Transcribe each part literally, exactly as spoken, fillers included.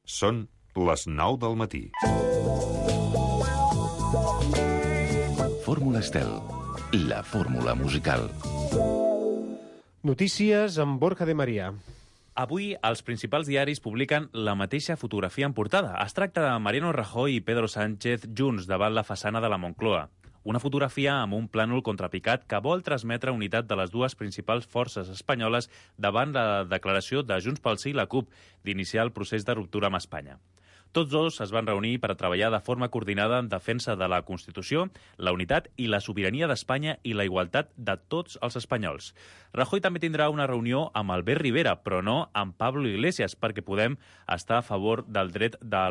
Són les nou del matí. Fórmula Estel, la fórmula musical. Notícies amb Borja de María. Avui, els principals diaris publiquen la mateixa fotografia en portada. Es tracta de Mariano Rajoy i Pedro Sánchez junts davant la façana de la Moncloa. Una fotografia amb un plànol contrapicat que vol transmetre unitat de les dues principals forces espanyoles davant la declaració de Junts pel Sí i la CUP d'iniciar el procés de ruptura amb Espanya. Tots dos es van reunir per a treballar de forma coordinada en defensa de la Constitució, la unitat i la sobirania d'Espanya i la igualtat de tots els espanyols. Rajoy també tindrà una reunió amb Albert Rivera, però no amb Pablo Iglesias, perquè Podem està a favor del dret de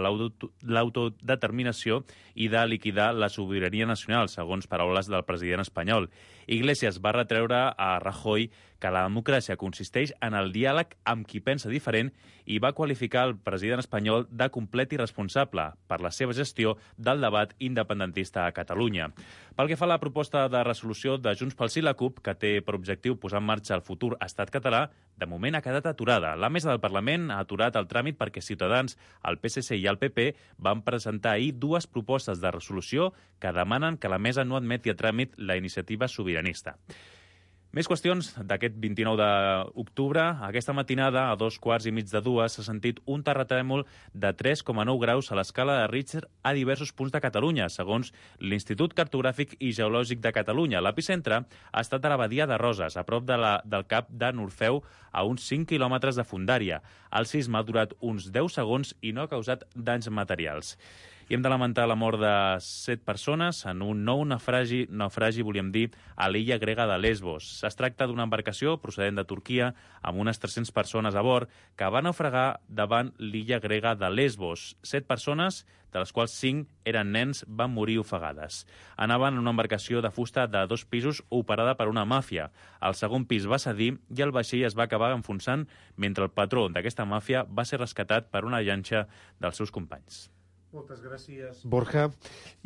l'autodeterminació i de liquidar la sobirania nacional, segons paraules del president espanyol. Iglesias va retreure a Rajoy que la democràcia consisteix en el diàleg amb qui pensa diferent i va qualificar el president espanyol de complet irresponsable per la seva gestió del debat independentista a Catalunya. Pel que fa a la proposta de resolució de Junts pel Sí i la CUP, que té per objectiu posar en marxa el futur estat català, de moment ha quedat aturada. La mesa del Parlament ha aturat el tràmit perquè Ciutadans, el P S C i el P P van presentar ahir dues propostes de resolució que demanen que la mesa no admeti a tràmit la iniciativa sobiranista. Més qüestions d'aquest vint-i-nou d'octubre. Aquesta matinada, a dos quarts i mig de dues, s'ha sentit un terratrèmol de tres coma nou graus a l'escala de Richter a diversos punts de Catalunya, segons l'Institut Cartogràfic i Geològic de Catalunya. L'epicentre ha estat a la Badia de Roses, a prop de la, del cap de Norfeu, a uns cinc quilòmetres de fondària. El sisme ha durat uns deu segons i no ha causat danys materials. I hem de lamentar la mort de set persones en un nou naufragi, naufragi volíem dir, a l'illa grega de Lesbos. Es tracta d'una embarcació procedent de Turquia amb unes tres-centes persones a bord que va naufragar davant l'illa grega de Lesbos. Set persones, de les quals cinc eren nens, van morir ofegades. Anaven en una embarcació de fusta de dos pisos operada per una màfia. El segon pis va cedir i el vaixell es va acabar enfonsant mentre el patró d'aquesta màfia va ser rescatat per una llanxa dels seus companys. Moltes gràcies, Borja.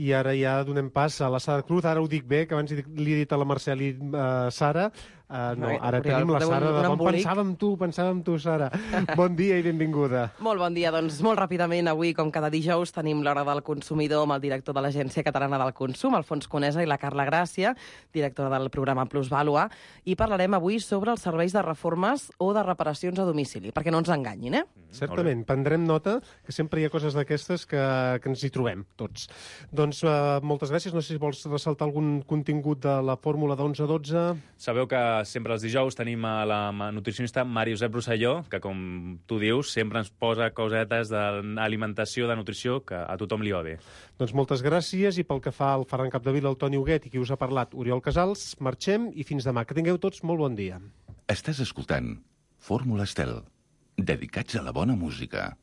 I ara ja donem pas a la Sara Cruz. Ara ho dic bé, que abans li he dit a la Mercè i uh, Sara. Uh, no, ara tenim la Sara de bon. Pensàvem tu, pensàvem tu, Sara. Bon dia i benvinguda. Molt bon dia. Doncs molt ràpidament, avui, com cada dijous, tenim l'Hora del Consumidor amb el director de l'Agència Catalana del Consum, Alfons Conesa, i la Carla Gràcia, directora del programa Plusvàlua, i parlarem avui sobre els serveis de reformes o de reparacions a domicili, perquè no ens enganyin, eh? Certament, prendrem nota, que sempre hi ha coses d'aquestes que, que ens hi trobem, tots. Doncs uh, moltes gràcies. No sé si vols ressaltar algun contingut de la fórmula d'onze a dotze. Sabeu que sempre els dijous tenim a la nutricionista Mari Josep Rosselló, que, com tu dius, sempre ens posa cosetes d'alimentació, de nutrició, que a tothom li va bé. Doncs moltes gràcies, i pel que fa al Ferran Capdevila, el Toni Huguet, i qui us ha parlat, Oriol Casals, marxem i fins demà. Que tingueu tots molt bon dia. Estàs escoltant Fórmula Estel, dedicats a la bona música.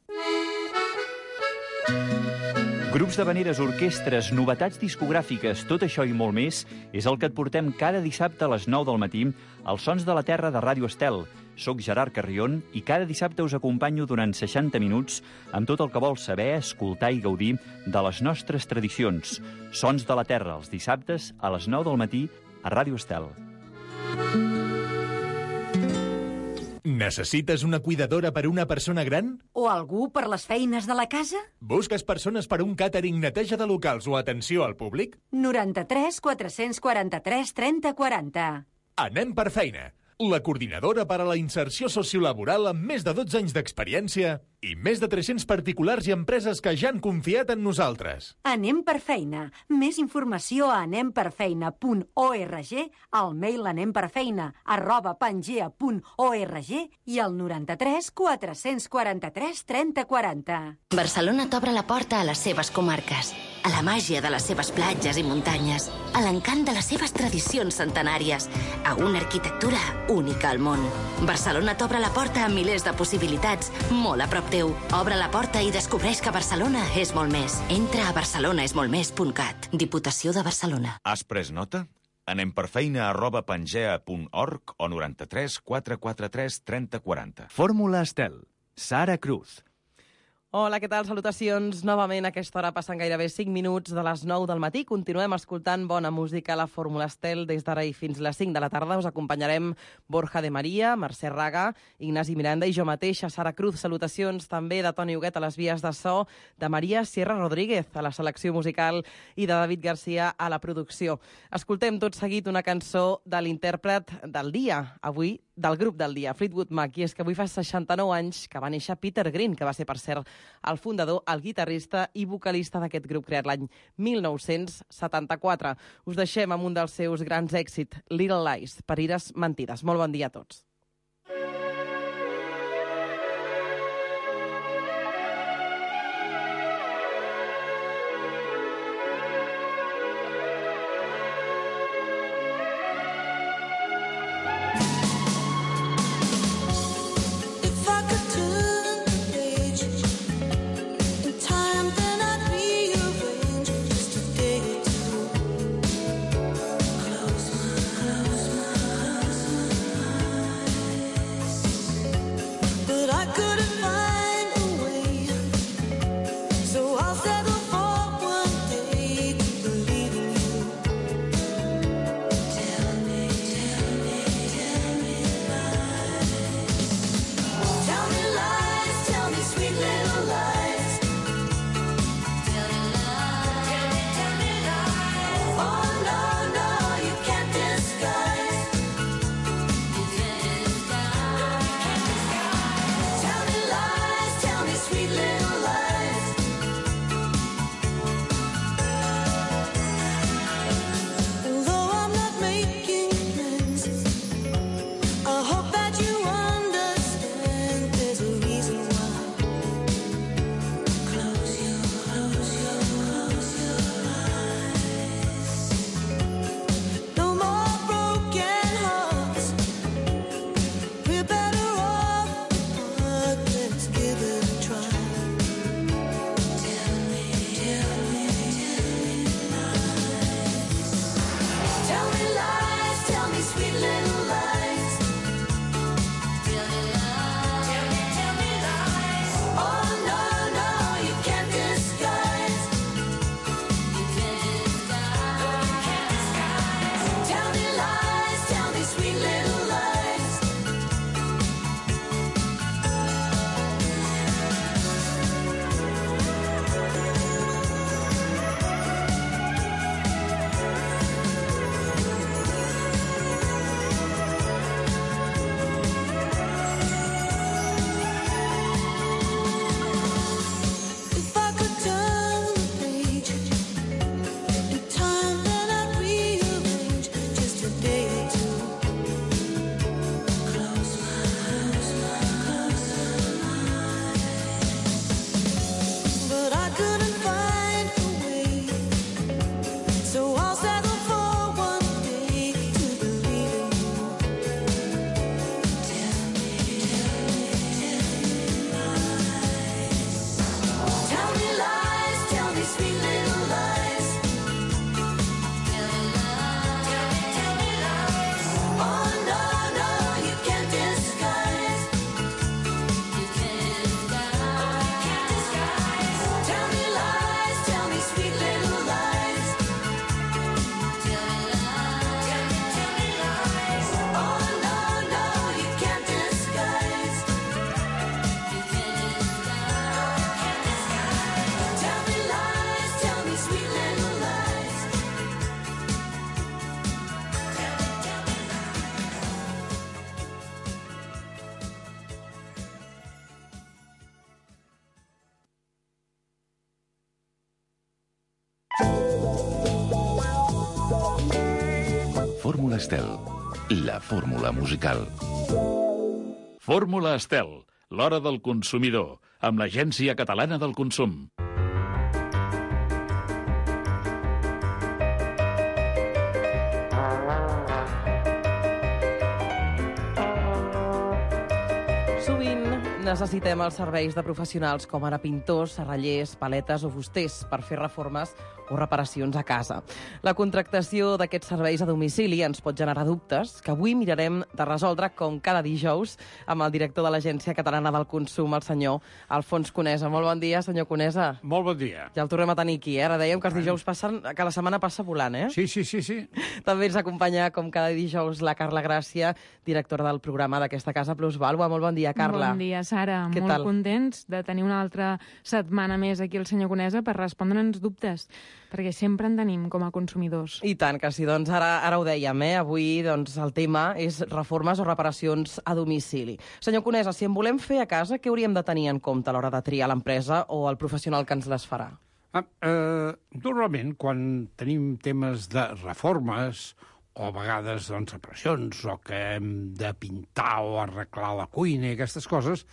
Grups d'havaneres, orquestres, novetats discogràfiques, tot això i molt més és el que et portem cada dissabte a les nou del matí als Sons de la Terra de Ràdio Estel. Soc Gerard Carrion i cada dissabte us acompanyo durant seixanta minuts amb tot el que vols saber, escoltar i gaudir de les nostres tradicions. Sons de la Terra, els dissabtes a les nou del matí a Ràdio Estel. Necessites una cuidadora per una persona gran? O algú per les feines de la casa? Busques persones per un càtering, neteja de locals o atenció al públic? noranta-tres quatre-cents quaranta-tres trenta quaranta. Anem per feina. La coordinadora per a la inserció sociolaboral amb més de dotze anys d'experiència i més de tres-cents particulars i empreses que ja han confiat en nosaltres. Anem per feina. Més informació a anem per feina punt org, al mail anemperfeina arroba pangea punt org i al noranta-tres quatre-cents quaranta-tres trenta quaranta. Barcelona t'obre la porta a les seves comarques, a la màgia de les seves platges i muntanyes, a l'encant de les seves tradicions centenàries, a una arquitectura única al món. Barcelona t'obre la porta a milers de possibilitats, molt a prop teu. Obre la porta i descobreix que Barcelona és molt més. Entra a barcelonaesmoltmés punt cat. Diputació de Barcelona. Has pres nota? Anem per feina arroba pangea punt org o noranta-tres quatre-cents quaranta-tres trenta quaranta. Fórmula Estel. Sara Cruz. Hola, què tal? Salutacions. Novament a aquesta hora passen gairebé cinc minuts de les nou del matí. Continuem escoltant bona música a la Fórmula Estel des d'ara i fins les cinc de la tarda. Us acompanyarem Borja de Maria, Mercè Raga, Ignasi Miranda i jo mateixa, Sara Cruz. Salutacions també de Toni Huguet a les vies de so, de Maria Sierra Rodríguez a la selecció musical i de David Garcia a la producció. Escoltem tot seguit una cançó de l'intèrpret del dia, avui del grup del dia, Fleetwood Mac, i és que avui fa seixanta-nou anys que va néixer Peter Green, que va ser, per cert, el fundador, el guitarrista i vocalista d'aquest grup creat l'any mil nou-cents setanta-quatre. Us deixem amb un dels seus grans èxits, Little Lies, Parires mentides. Molt bon dia a tots. Fórmula Estel, la fórmula musical. Fórmula Estel, l'hora del consumidor, amb l'Agència Catalana del Consum. Sovint necessitem els serveis de professionals com ara pintors, serrallers, paletes o fusters per fer reformes o reparacions a casa. La contractació d'aquests serveis a domicili ens pot generar dubtes que avui mirarem de resoldre com cada dijous amb el director de l'Agència Catalana del Consum, el senyor Alfons Conesa. Molt bon dia, senyor Conesa. Molt bon dia. Ja el tornem a tenir aquí, eh? Ara dèiem que els dijous passen, que la setmana passa volant, eh? Sí, sí, sí, sí. També ens acompanya, com cada dijous, la Carla Gràcia, directora del programa d'aquesta casa Plus Vàlua. Molt bon dia, Carla. Bon dia, Sara. Què Molt tal? contents de tenir una altra setmana més aquí el senyor Conesa per respondre'ns dubtes, perquè sempre en tenim com a consumidors. I tant que sí, doncs ara, ara ho dèiem, eh? Avui doncs, el tema és reformes o reparacions a domicili. Senyor Conesa, si en volem fer a casa, què hauríem de tenir en compte a l'hora de triar l'empresa o el professional que ens les farà? Ah, eh, normalment, quan tenim temes de reformes o a vegades doncs, reparacions, o que hem de pintar o arreglar la cuina i aquestes coses,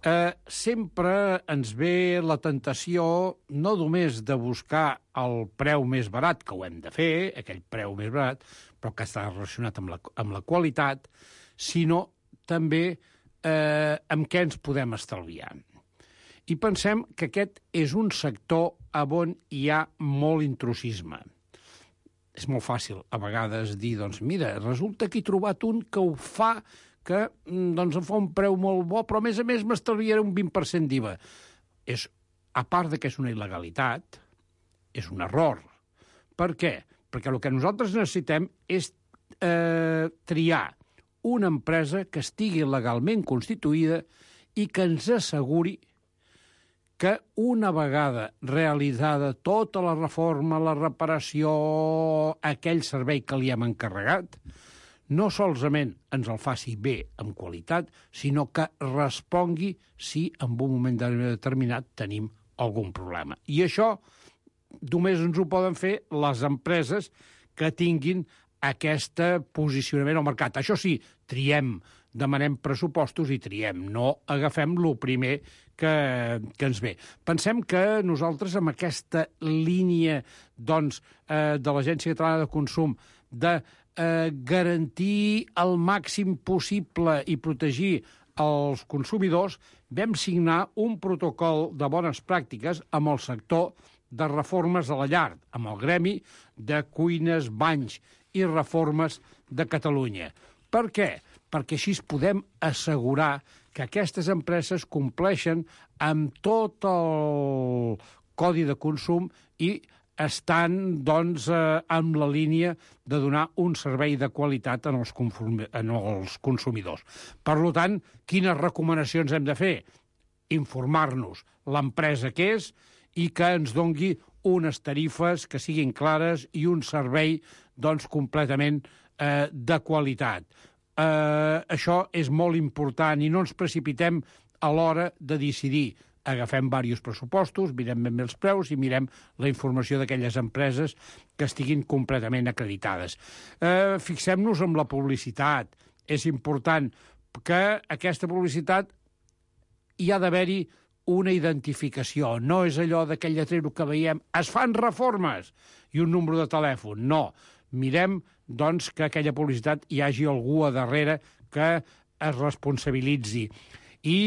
eh, sempre ens ve la tentació no només de buscar el preu més barat, que ho hem de fer, aquell preu més barat, però que està relacionat amb la, amb la qualitat, sinó també eh, amb què ens podem estalviar. I pensem que aquest és un sector on hi ha molt intrusisme. És molt fàcil, a vegades, dir, doncs, mira, resulta que he trobat un que ho fa, que doncs, em fa un preu molt bo, però a més a més m'estalviaré un vint per cent d'I V A. És, a part de que és una il·legalitat, és un error. Per què? Perquè el que nosaltres necessitem és eh, triar una empresa que estigui legalment constituïda i que ens asseguri que una vegada realitzada tota la reforma, la reparació, aquell servei que li hem encarregat, no solament ens el faci bé, amb qualitat, sinó que respongui si en un moment determinat tenim algun problema. I això només ens ho poden fer les empreses que tinguin aquest posicionament al mercat. Això sí, triem, demanem pressupostos i triem, no agafem el primer que, que ens ve. Pensem que nosaltres amb aquesta línia doncs, eh, de l'Agència Catalana de Consum de eh, garantir el màxim possible i protegir els consumidors, vam signar un protocol de bones pràctiques amb el sector de reformes a la llar, amb el Gremi de Cuines, Banys i Reformes de Catalunya. Per què? Perquè així podem assegurar que aquestes empreses compleixen amb tot el codi de consum i estan, doncs, eh, amb la línia de donar un servei de qualitat en els, en els consumidors. Per tant, quines recomanacions hem de fer? Informar-nos l'empresa que és i que ens dongui unes tarifes que siguin clares i un servei, doncs, completament eh, de qualitat. Eh, això és molt important i no ens precipitem a l'hora de decidir. Agafem diversos pressupostos, mirem ben bé els preus i mirem la informació d'aquelles empreses que estiguin completament acreditades. Eh, fixem-nos en la publicitat. És important que aquesta publicitat hi ha d'haver-hi una identificació. No és allò d'aquell lletrero que veiem, es fan reformes, i un número de telèfon. No. Mirem, doncs, que aquella publicitat hi hagi algú a darrere que es responsabilitzi. I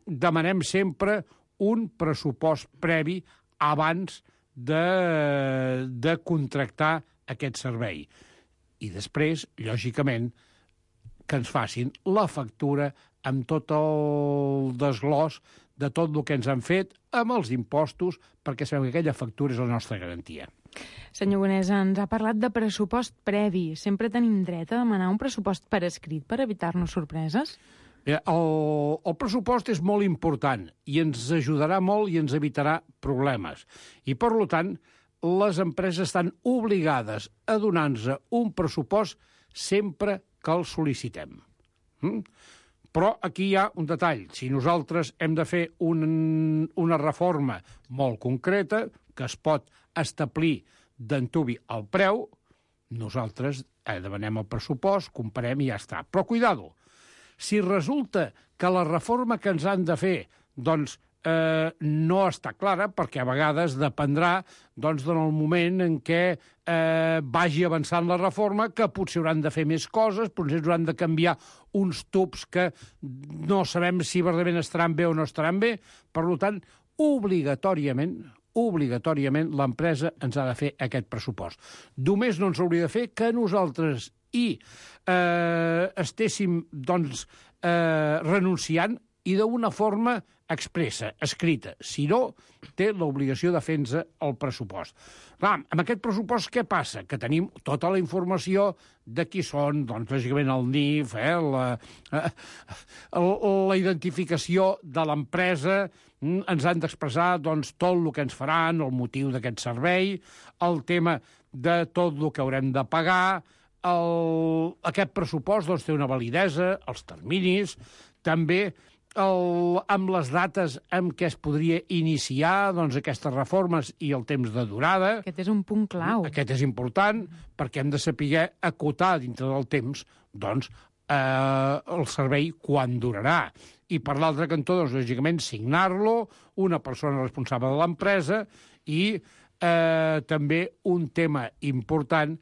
demanem sempre un pressupost previ abans de, de contractar aquest servei. I després, lògicament, que ens facin la factura amb tot el desglòs de tot el que ens han fet amb els impostos, perquè sabem que aquella factura és la nostra garantia. Senyor Conesa, ens ha parlat de pressupost previ. Sempre tenim dret a demanar un pressupost per escrit per evitar-nos sorpreses? El, el pressupost és molt important i ens ajudarà molt i ens evitarà problemes. I, per tant, les empreses estan obligades a donar-nos un pressupost sempre que el sol·licitem. Mm? Però aquí hi ha un detall. Si nosaltres hem de fer un, una reforma molt concreta, que es pot establir d'antuvi el preu, nosaltres eh, demanem el pressupost, comparem i ja està. Però, cuidado, si resulta que la reforma que ens han de fer doncs, eh, no està clara, perquè a vegades dependrà doncs, del moment en què eh, vagi avançant la reforma, que potser hauran de fer més coses, potser hauran de canviar uns tubs que no sabem si verdaderament estaran bé o no estaran bé. Per tant, obligatòriament, obligatòriament l'empresa ens ha de fer aquest pressupost. Només no ens hauria de fer que nosaltres hi eh, estéssim doncs, eh, renunciant i d'una forma expressa, escrita. Si no, té l'obligació de fer-nos el pressupost. Clar, amb aquest pressupost què passa? Que tenim tota la informació de qui són, doncs, lògicament, el N I F, eh, la, eh, la identificació de l'empresa, ens han d'expressar doncs, tot el que ens faran, el motiu d'aquest servei, el tema de tot el que haurem de pagar, el, aquest pressupost doncs, té una validesa, els terminis, també el, amb les dates amb què es podria iniciar doncs, aquestes reformes i el temps de durada. Aquest és un punt clau. Aquest és important perquè hem de saber acotar dintre del temps doncs, eh, el servei quan durarà. I per l'altre cantó, doncs, lògicament, signar-lo, una persona responsable de l'empresa i eh, també un tema important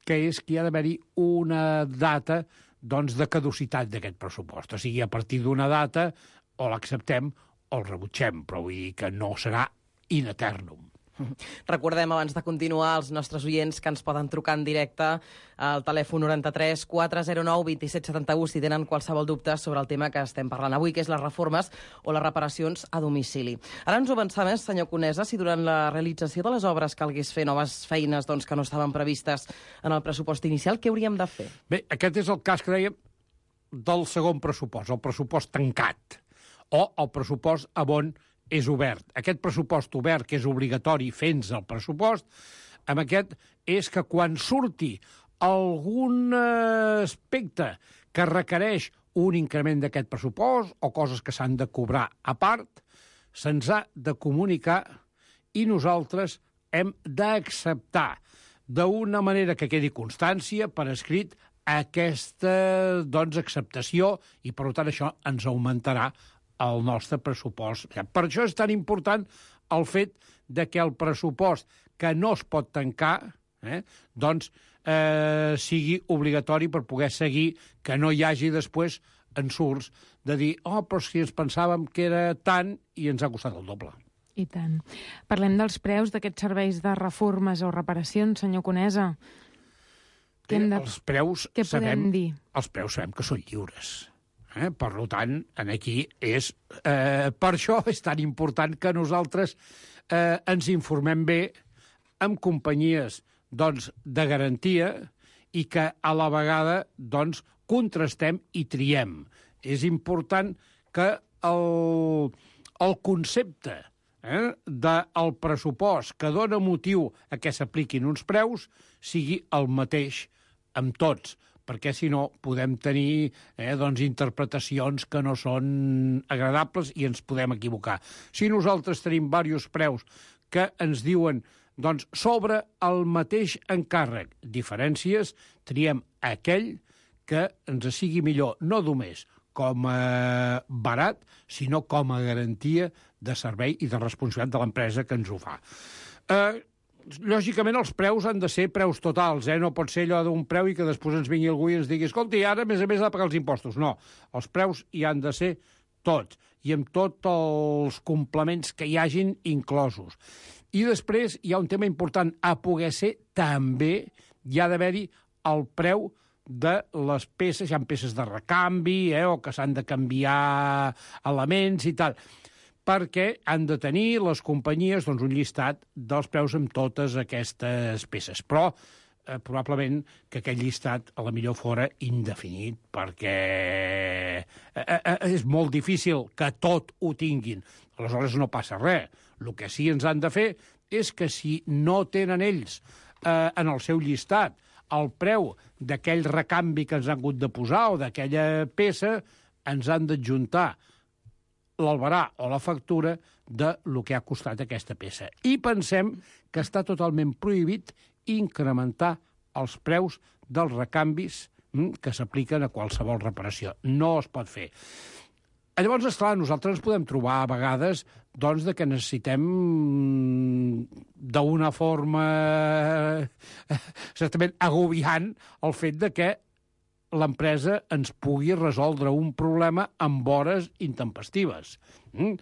que és que hi ha d'haver-hi una data doncs, de caducitat d'aquest pressupost. O sigui, a partir d'una data o l'acceptem o el rebutgem, però vull dir que no serà in eternum. Recordem, abans de continuar, als nostres oients que ens poden trucar en directe al telèfon noranta-tres quatre zero nou dos set set u si tenen qualsevol dubte sobre el tema que estem parlant avui, que és les reformes o les reparacions a domicili. Ara ens ho avançar més, senyor Conesa, si durant la realització de les obres calgués fer noves feines doncs, que no estaven previstes en el pressupost inicial, què hauríem de fer? Bé, aquest és el cas que dèiem del segon pressupost, el pressupost tancat, o el pressupost a on és obert. Aquest pressupost obert, que és obligatori fent el pressupost, amb aquest és que quan surti algun aspecte que requereix un increment d'aquest pressupost o coses que s'han de cobrar a part, se'ns ha de comunicar i nosaltres hem d'acceptar d'una manera que quedi constància per escrit aquesta doncs, acceptació i, per tant, això ens augmentarà el nostre pressupost. Per això és tan important el fet de que el pressupost que no es pot tancar eh, doncs, eh, sigui obligatori per poder seguir, que no hi hagi després ensurts de dir oh, però si ens pensàvem que era tant i ens ha costat el doble. I tant. Parlem dels preus d'aquests serveis de reformes o reparacions, senyor Conesa. Què hem de... Els preus, Què sabem, podem dir? Els preus sabem que són lliures. Eh? Per tant, aquí és... Eh, per això és tan important que nosaltres eh, ens informem bé amb companyies doncs, de garantia i que a la vegada doncs, contrastem i triem. És important que el, el concepte eh, del pressupost que dona motiu a que s'apliquin uns preus sigui el mateix amb tots, perquè si no podem tenir eh, doncs, interpretacions que no són agradables i ens podem equivocar. Si nosaltres tenim diversos preus que ens diuen doncs, sobre el mateix encàrrec diferències, triem aquell que ens sigui millor, no només com a barat, sinó com a garantia de servei i de responsabilitat de l'empresa que ens ho fa. Eh, Lògicament, els preus han de ser preus totals, eh? No pot ser allò d'un preu i que després ens vingui algú i ens digui escolta, i ara, a més a més, ha de pagar els impostos. No, els preus hi han de ser tots, i amb tots els complements que hi hagin inclosos. I després hi ha un tema important, a poder ser també hi ha d'haver-hi el preu de les peces, hi ha peces de recanvi, eh? O que s'han de canviar elements i tal, perquè han de tenir les companyies doncs, un llistat dels preus amb totes aquestes peces. Però eh, probablement que aquest llistat a la millor fora indefinit, perquè eh, eh, és molt difícil que tot ho tinguin. Aleshores no passa res. El que sí ens han de fer és que si no tenen ells eh, en el seu llistat el preu d'aquell recanvi que ens han hagut de posar o d'aquella peça, ens han d'adjuntar l'albarà o la factura de lo que ha costat aquesta peça. I pensem que està totalment prohibit incrementar els preus dels recanvis que s'apliquen a qualsevol reparació. No es pot fer. Llavors, esclar, nosaltres ens podem trobar a vegades doncs, de que necessitem d'una forma certament agobiant el fet de que l'empresa ens pugui resoldre un problema amb hores intempestives. Mm?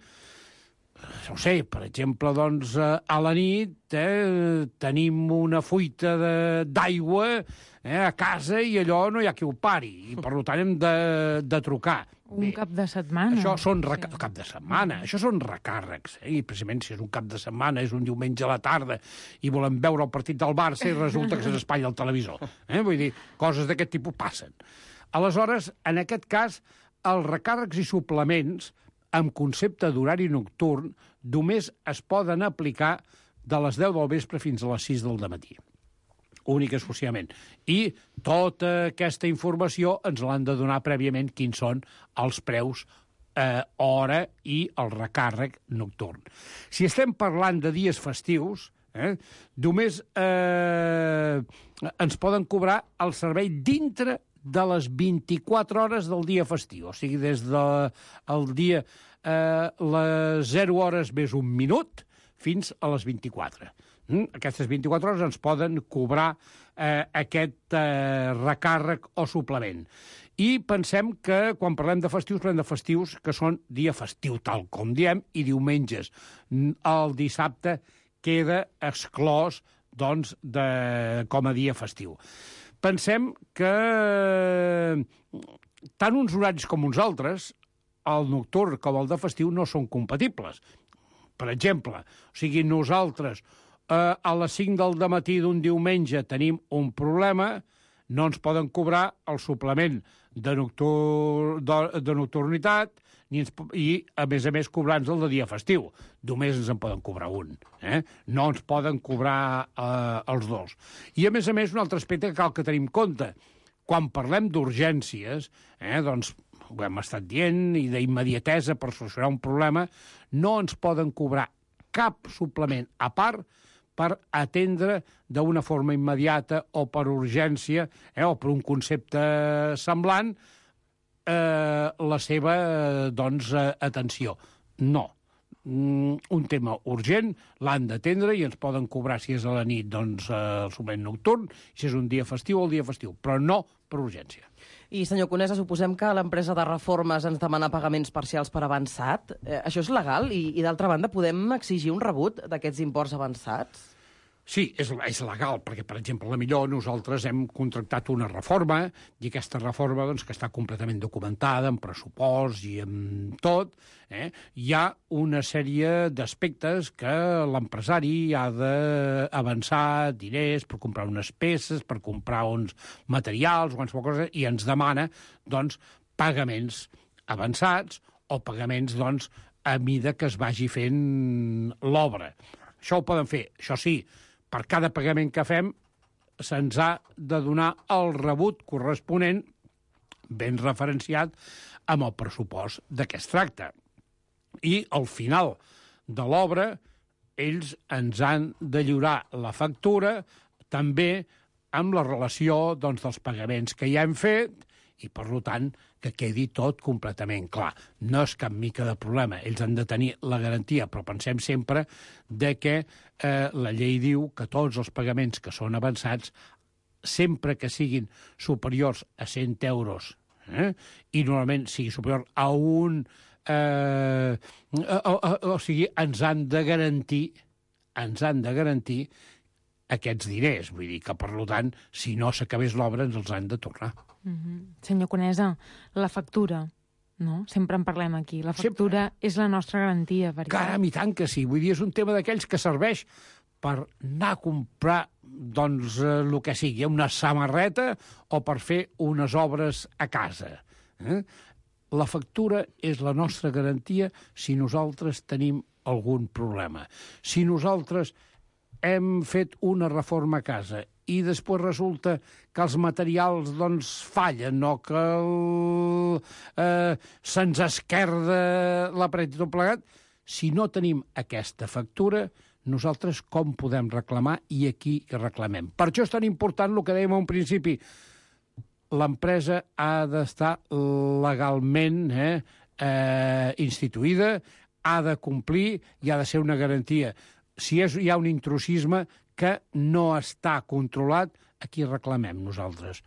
no sé, per exemple, doncs, a la nit eh, tenim una fuita d'aigua eh, a casa i allò no hi ha qui ho pari, i per tant hem de, de trucar. Un Bé, cap de setmana. Això són reca... sí. cap de setmana, això són recàrrecs, eh? I precisament si és un cap de setmana, és un diumenge a la tarda, i volem veure el partit del Barça i resulta que s'espatlla el televisor. Eh? Vull dir, coses d'aquest tipus passen. Aleshores, en aquest cas, els recàrrecs i suplements amb concepte d'horari nocturn només es poden aplicar de les deu del vespre fins a les sis del dematí. Únic i exclusivament. I tota aquesta informació ens l'han de donar prèviament quins són els preus, eh, hora i el recàrrec nocturn. Si estem parlant de dies festius, eh, només eh, ens poden cobrar el servei dintre de les vint-i-quatre hores del dia festiu. O sigui, des del de, dia eh, les zero hores més un minut fins a les vint-i-quatre. Mm? Aquestes vint-i-quatre hores ens poden cobrar eh, aquest eh, recàrrec o suplement. I pensem que quan parlem de festius, parlem de festius que són dia festiu, tal com diem, i diumenges. El dissabte queda exclòs, doncs, de, com a dia festiu. Pensem que tant uns horaris com uns altres, el nocturn com el de festiu, no són compatibles. Per exemple, o sigui, nosaltres eh, a les cinc del dematí d'un diumenge tenim un problema, no ens poden cobrar el suplement de, noctur... de, de nocturnitat ni ens... i, a més a més, cobrar-nos el de dia festiu. Només ens en poden cobrar un. Eh? No ens poden cobrar eh, els dos. I, a més a més, un altre aspecte que cal que tenim en compte. Quan parlem d'urgències, eh, doncs, ho hem estat dient, i d'immediatesa per solucionar un problema, no ens poden cobrar cap suplement a part per atendre d'una forma immediata o per urgència, eh, o per un concepte semblant, eh, la seva eh, doncs, eh, atenció. No. Mm, un tema urgent l'han d'atendre i ens poden cobrar, si és a la nit, doncs, eh, el suplement nocturn, si és un dia festiu, el dia festiu, però no per urgència. I, senyor Conesa, suposem que l'empresa de reformes ens demana pagaments parcials per avançat. Eh, això és legal? I, i d'altra banda, podem exigir un rebut d'aquests imports avançats? Sí, és, és legal, perquè, per exemple, a la millor nosaltres hem contractat una reforma, i aquesta reforma, doncs, que està completament documentada, amb pressupost i amb tot, eh? Hi ha una sèrie d'aspectes que l'empresari ha d'avançar diners per comprar unes peces, per comprar uns materials, o qualsevol cosa, i ens demana, doncs, pagaments avançats o pagaments, doncs, a mida que es vagi fent l'obra. Això ho poden fer, això sí, per cada pagament que fem se'ns ha de donar el rebut corresponent ben referenciat amb el pressupost de què es tracta. I al final de l'obra ells ens han de lliurar la factura també amb la relació, doncs, dels pagaments que ja hem fet i, per tant, que quedi tot completament clar. No és cap mica de problema. Ells han de tenir la garantia, però pensem sempre de que eh, la llei diu que tots els pagaments que són avançats, sempre que siguin superiors a cent euros, eh, i normalment sigui superior a un... Eh, o, o, o sigui, ens han de garantir, ens han de garantir aquests diners. Vull dir que, per tant, si no s'acabés l'obra, ens els han de tornar. Mm-hmm. Senyor Conesa, la factura, no? Sempre en parlem aquí. La factura Sempre. És la nostra garantia. Perquè... Caram, i tant que sí. Vull dir, és un tema d'aquells que serveix per anar a comprar, doncs, eh, el que sigui, una samarreta o per fer unes obres a casa. Eh? La factura és la nostra garantia si nosaltres tenim algun problema. Si nosaltres hem fet una reforma a casa i després resulta que els materials, doncs, fallen o que el, eh, se'ns esquerda la paret i tot plegat, si no tenim aquesta factura, nosaltres com podem reclamar i a qui reclamem? Per això és tan important el que dèiem a un principi. L'empresa ha d'estar legalment eh, eh, instituïda, ha de complir i ha de ser una garantia. Si és, hi ha un intrusisme que no està controlat, a qui reclamem nosaltres?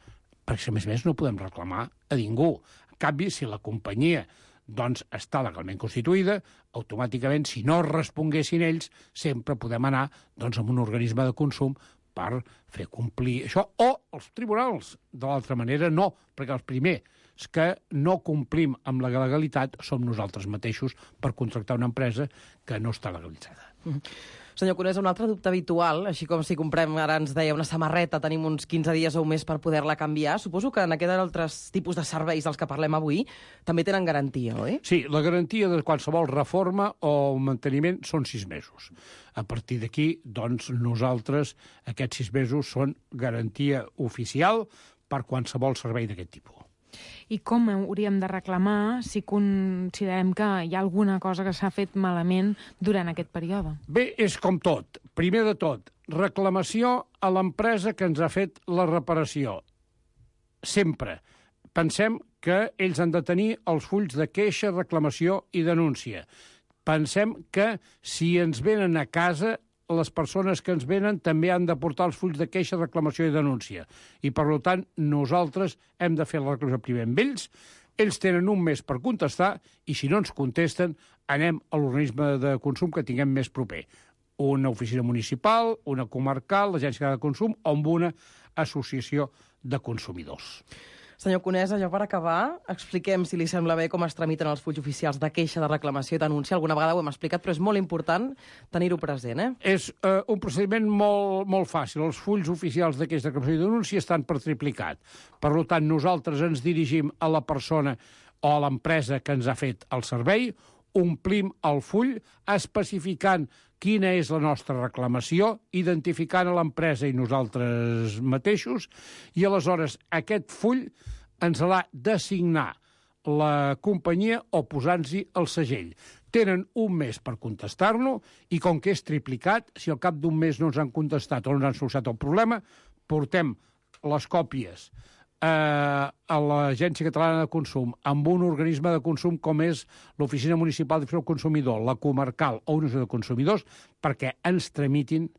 Perquè, a més a més, no podem reclamar a ningú. En canvi, si la companyia doncs està legalment constituïda, automàticament, si no responguessin ells, sempre podem anar doncs, amb un organisme de consum per fer complir això, o els tribunals. De l'altra manera, no, perquè els primers que no complim amb la legalitat som nosaltres mateixos per contractar una empresa que no està legalitzada. Mm-hmm. Senyor Conesa, un altre dubte habitual, així com si comprem, ara ens deia, una samarreta, tenim uns quinze dies o un mes per poder-la canviar. Suposo que en aquests altres tipus de serveis dels que parlem avui també tenen garantia, oi? Sí, la garantia de qualsevol reforma o manteniment són sis mesos. A partir d'aquí, doncs, nosaltres, aquests sis mesos són garantia oficial per qualsevol servei d'aquest tipus. I com hauríem de reclamar si considerem que hi ha alguna cosa que s'ha fet malament durant aquest període? Bé, és com tot. Primer de tot, reclamació a l'empresa que ens ha fet la reparació. Sempre. Pensem que ells han de tenir els fulls de queixa, reclamació i denúncia. Pensem que si ens venen a casa, les persones que ens venen també han de portar els fulls de queixa, reclamació i denúncia. I, per tant, nosaltres hem de fer la reclamació primer amb ells, ells tenen un mes per contestar i, si no ens contesten, anem a l'organisme de consum que tinguem més proper. Una oficina municipal, una comarcal, l'agència de consum o amb una associació de consumidors. Senyor Conesa, ja per acabar, expliquem, si li sembla bé, com es tramiten els fulls oficials de queixa, de reclamació i denúncia. Alguna vegada ho hem explicat, però és molt important tenir-ho present, eh? És eh, un procediment molt, molt fàcil. Els fulls oficials de queixa, de reclamació i denúncia estan per triplicat. Per tant, nosaltres ens dirigim a la persona o a l'empresa que ens ha fet el servei, omplim el full especificant quina és la nostra reclamació, identificant a l'empresa i nosaltres mateixos, i aleshores aquest full ens l'ha d'assignar la companyia o posant-hi el segell. Tenen un mes per contestar-lo i com que és triplicat, si al cap d'un mes no ens han contestat o no ens han solucionat el problema, portem les còpies eh, a l'Agència Catalana de Consum amb un organisme de consum com és l'Oficina Municipal de Consumidor, la comarcal o una de consumidors, perquè ens tramitin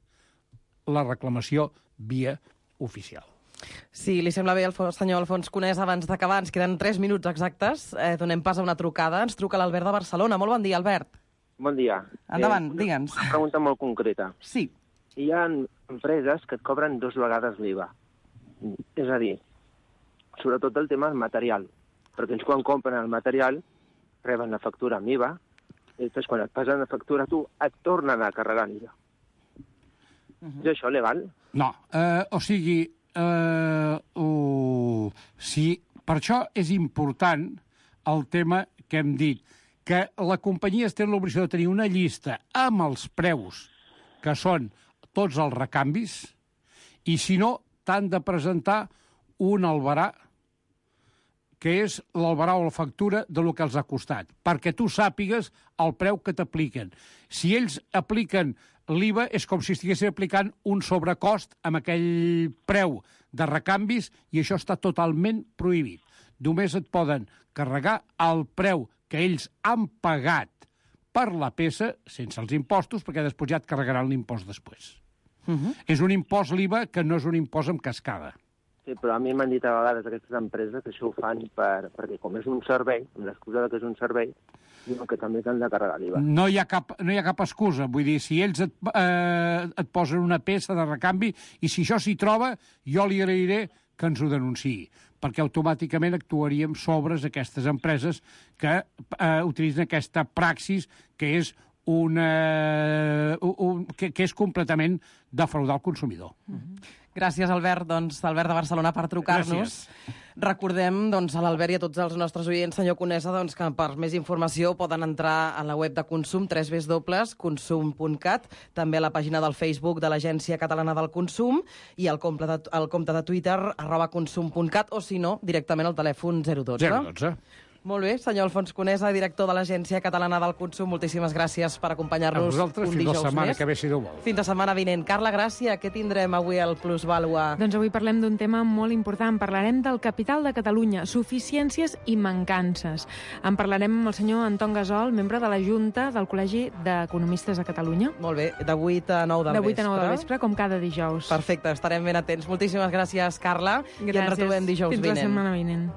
la reclamació via oficial. Si li sembla bé, el senyor Alfons Conesa, abans d'acabar, ens queden tres minuts exactes, eh, donem pas a una trucada. Ens truca l'Albert de Barcelona. Molt bon dia, Albert. Bon dia. Endavant, eh, digue'ns. Una pregunta molt concreta. Sí. Hi ha empreses que et cobren dues vegades l'I V A. És a dir, sobretot el tema del material, perquè ells quan compren el material reben la factura amb I V A, i després quan et passen la factura tu et tornen a carregar l'I V A. Uh-huh. És això legal? No, eh, o sigui, eh, uh, sí, per això és important el tema que hem dit, que la companyia té l'obligació de tenir una llista amb els preus que són tots els recanvis, i si no, t'han de presentar un albarà, que és l'albarà o la factura de lo que els ha costat, perquè tu sàpigues el preu que t'apliquen. Si ells apliquen l'I V A, és com si estiguessin aplicant un sobrecost amb aquell preu de recanvis, i això està totalment prohibit. Només et poden carregar el preu que ells han pagat per la peça, sense els impostos, perquè després ja et carregaran l'impost després. Uh-huh. És un impost l'I V A que no és un impost en cascada. Sí, però a mi m'han dit a vegades aquestes empreses que això ho fan per, perquè com és un servei, amb l'excusa que és un servei, diuen que també t'han de carregar l'I V A. No hi ha cap, no hi ha cap excusa. Vull dir, si ells et, eh, et posen una peça de recanvi i si això s'hi troba, jo li agrairé que ens ho denunciï, perquè automàticament actuaríem sobre aquestes empreses que eh, utilitzen aquesta praxis que és una, un, que, que és completament defraudar el consumidor. Mm-hmm. Gràcies, Albert, doncs, Albert de Barcelona, per trucar-nos. Recordem doncs, a l'Albert i a tots els nostres oients, senyor Conesa, doncs, que per més informació poden entrar a la web de Consum, w w w punt consum punt cat, també a la pàgina del Facebook de l'Agència Catalana del Consum i al compte de, al compte de Twitter, arroba consum punt cat, o si no, directament al telèfon zero dotze. zero dotze. Molt bé, senyor Alfons Conesa, director de l'Agència Catalana del Consum, moltíssimes gràcies per acompanyar-nos un dijous més. A vosaltres, fins la setmana que ve, si Déu vol. Fins la setmana vinent. Carla Gràcia, què tindrem avui al Plus Vàlua? Doncs avui parlem d'un tema molt important. Parlarem del capital de Catalunya, suficiències i mancances. En parlarem amb el senyor Anton Gasol, membre de la Junta del Col·legi d'Economistes de Catalunya. Molt bé, de vuit a nou del vespre. De vuit a nou del vespre, com cada dijous. Perfecte, estarem ben atents. Moltíssimes gràcies, Carla. Gràcies. I ens retrobem dijous Fins vinent. Fins la setmana vinent.